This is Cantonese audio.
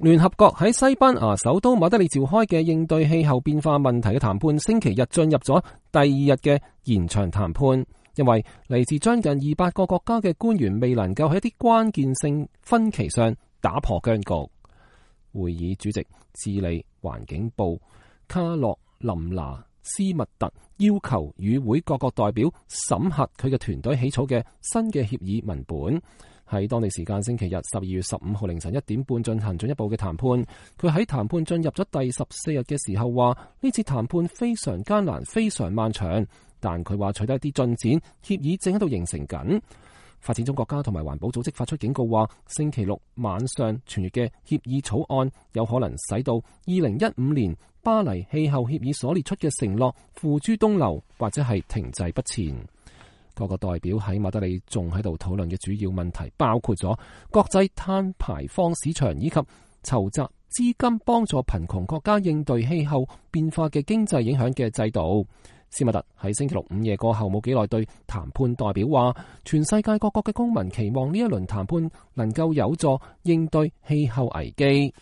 聯合國喺西班牙首都馬德里召開嘅應對氣候變化問題嘅談判，星期日進入咗第二日嘅延長談判，因為嚟自將近200個國家嘅官員未能夠喺一啲關鍵性分歧上打破僵局。會議主席智利環境部卡洛琳娜斯密特要求與會各國代表審核佢嘅團隊起草嘅新嘅協議文本。喺當地時間星期日12月15號凌晨1點半進行進一步嘅談判。佢喺談判進入咗第14日嘅時候話，呢次談判非常艱難，非常漫長，但佢話取得一啲進展，協議正喺度形成緊。發展中國家同埋環保組織發出警告話，星期六晚上傳閱嘅協議草案有可能使到2015年巴黎氣候協議所列出嘅承諾付諸東流，或者係停滯不前。各個代表喺馬德里仲喺度討論嘅主要問題包括咗國際碳排放市場以及籌集資金幫助貧窮國家應對氣候變化嘅經濟影響嘅制度。斯密特喺星期六午夜過後冇幾耐對談判代表話，全世界各國嘅公民期望呢一輪談判能夠有助應對氣候危機。